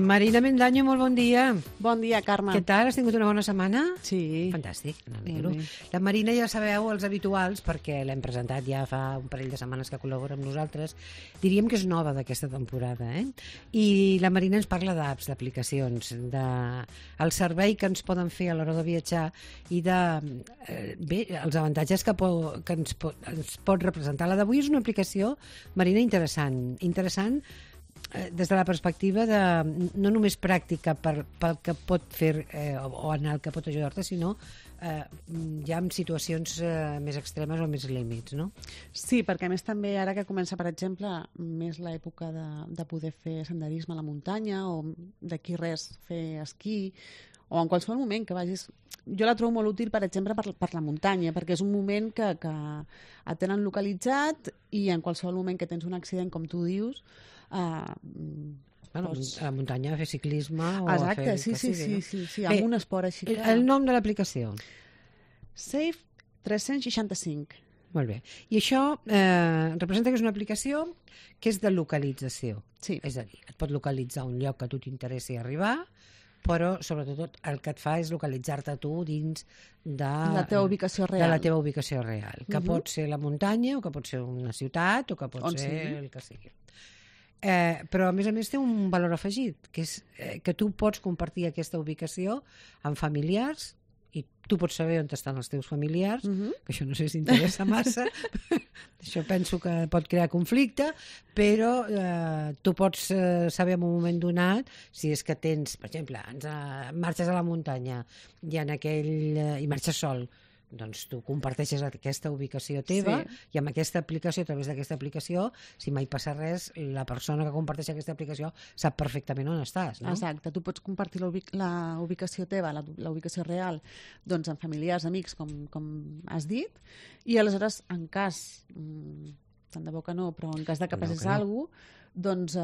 Marina Mendaño, molt bon dia. Bon dia, Carme. Què tal? Has tingut una bona setmana? Sí. Fantàstic, m'alegro. La Marina ja sabeu, els habituals, perquè l'hem presentat ja fa un parell de setmanes que col·labora amb nosaltres, diríem que és nova d'aquesta temporada, I la Marina ens parla d'apps, d'aplicacions, del servei que ens poden fer a l'hora de viatjar i els avantatges que ens pot representar. La d'avui és una aplicació, Marina, interessant des de la perspectiva no només pràctica pel que pot fer o en el que pot ajudar-te, sinó ja en situacions més extremes o més límits, no? Sí, perquè a més també ara que comença, per exemple, més l'època de poder fer senderisme a la muntanya o d'aquí res fer esquí o en qualsevol moment que vagis... Jo la trobo molt útil, per exemple, per la muntanya, perquè és un moment que et tenen localitzat i en qualsevol moment que tens un accident, com tu dius, a la muntanya a fer ciclisme o exacte, a fer... sí, amb un esport així. El nom de l'aplicació? Safe 365. Molt bé. I això representa que és una aplicació que és de localització. Sí. És a dir, et pot localitzar un lloc que a tu t'interessi arribar, però sobretot el que et fa és localitzar-te tu dins de la teva ubicació real. De la teva ubicació real, que pot ser la muntanya o que pot ser una ciutat o que pot ser el que sigui. Però a més té un valor afegit, que és que tu pots compartir aquesta ubicació amb familiars i tu pots saber on estan els teus familiars, que això no sé si interessa massa, això penso que pot crear conflicte, però tu pots saber en un moment donat si és que tens, per exemple, marxes a la muntanya i marxes sol, doncs tu comparteixes aquesta ubicació teva i amb aquesta aplicació, a través d'aquesta aplicació, si mai passa res, la persona que comparteix aquesta aplicació sap perfectament on estàs, no? Exacte, tu pots compartir la ubicació teva, la ubicació real, doncs amb familiars, amics, com has dit, i aleshores, en cas, tant de bo que no, però en cas de que passés alguna cosa, doncs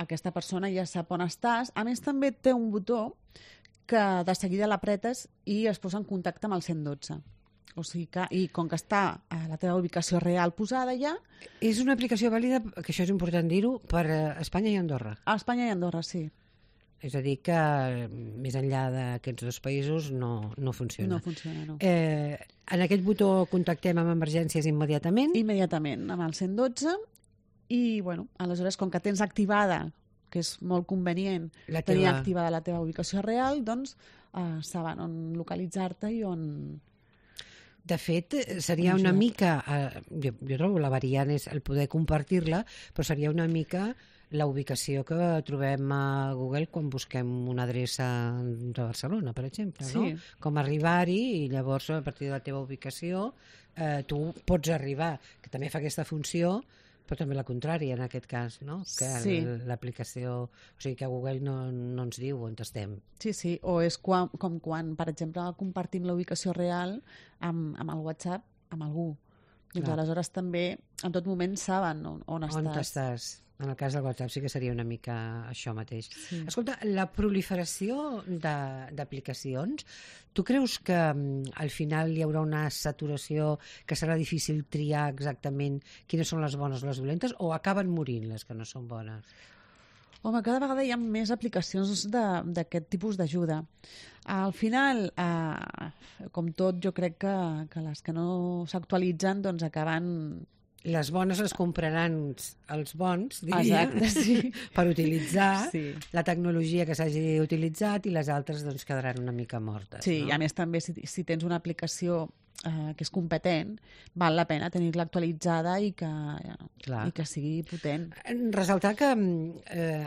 aquesta persona ja sap on estàs. A més, també té un botó que de seguida l'apretes i es posa en contacte amb el 112. O sigui que, i com que està a la teva ubicació real posada ja... És una aplicació vàlida, que això és important dir-ho, per Espanya i Andorra. A Espanya i Andorra, sí. És a dir, que més enllà d'aquests dos països no funciona. No funciona, no. En aquest botó contactem amb emergències immediatament? Immediatament, amb el 112. I, bueno, aleshores, com que tens activada, que és molt convenient tenir activada la teva ubicació real, doncs saben on localitzar-te i on... De fet, seria una mica... Jo trobo la variant és el poder compartir-la, però seria una mica la ubicació que trobem a Google quan busquem una adreça de Barcelona, per exemple, no? Com arribar-hi i llavors a partir de la teva ubicació tu pots arribar, que també fa aquesta funció, però també la contrària en aquest cas, no? Que l'aplicació... O sigui, que Google no ens diu on estem. Sí, o és com quan, per exemple, compartim la ubicació real amb el WhatsApp amb algú. Doncs aleshores també, en tot moment, saben on estàs. On estàs. En el cas del WhatsApp sí que seria una mica això mateix. Sí. Escolta, la proliferació d'aplicacions, tu creus que al final hi haurà una saturació que serà difícil triar exactament quines són les bones o les dolentes, o acaben morint les que no són bones? Home, cada vegada hi ha més aplicacions d'aquest tipus d'ajuda. Al final, com tot, jo crec que les que no s'actualitzen doncs acaben... Les bones les compraran els bons, diria, per utilitzar la tecnologia que s'hagi utilitzat, i les altres doncs quedaran una mica mortes. Sí, i a més també si tens una aplicació que és competent, val la pena tenir-la actualitzada i que sigui potent. Ressaltar que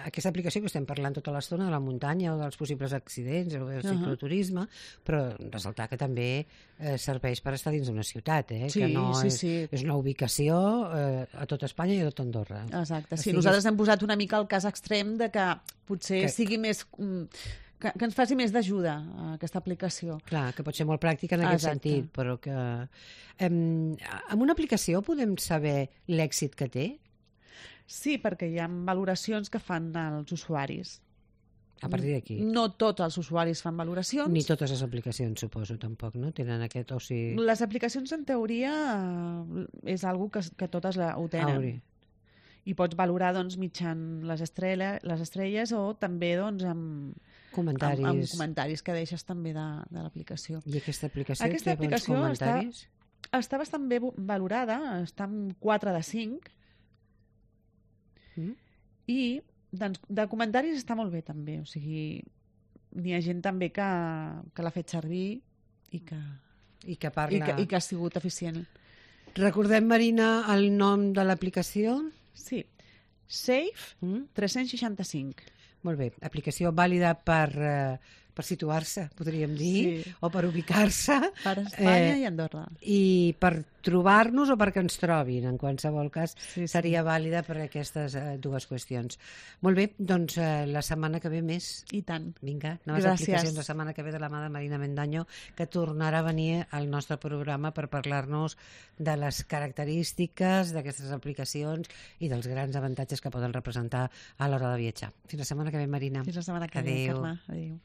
aquesta aplicació que estem parlant tota l'estona de la muntanya o dels possibles accidents o del cicloturisme, però ressaltar que també serveix per estar dins d'una ciutat, que no és una ubicació a tot Espanya i a tot Andorra. Exacte, sí, nosaltres hem posat una mica el cas extrem de que potser sigui més... Que ens faci més d'ajuda aquesta aplicació. Clar, que pot ser molt pràctica en aquest sentit, però que... Amb una aplicació podem saber l'èxit que té? Sí, perquè hi ha valoracions que fan els usuaris. A partir d'aquí? No tots els usuaris fan valoracions. Ni totes les aplicacions, suposo, tampoc, no? Tenen aquest... Les aplicacions, en teoria, és algo que totes ho tenen. i pots valorar doncs, mitjan les estrelles o també doncs, amb comentaris que deixes també de l'aplicació. I aquesta aplicació té bons comentaris? Està bastant bé valorada, està en 4 de 5 i de comentaris està molt bé també, o sigui, n'hi ha gent també que l'ha fet servir i que parla... I que ha sigut eficient. Recordem, Marina, el nom de l'aplicació? Sí, Safe 365. Molt bé, aplicació vàlida per situar-se, podríem dir, o per ubicar-se. Per Espanya i Andorra. I per trobar-nos o perquè ens trobin, en qualsevol cas, seria vàlida per aquestes dues qüestions. Molt bé, doncs la setmana que ve més. I tant. Vinga, noves aplicacions la setmana que ve de la mà de Marina Mendaño, que tornarà a venir al nostre programa per parlar-nos de les característiques d'aquestes aplicacions i dels grans avantatges que poden representar a l'hora de viatjar. Fins la setmana que ve, Marina. Fins la setmana que ve, Carme. Adéu.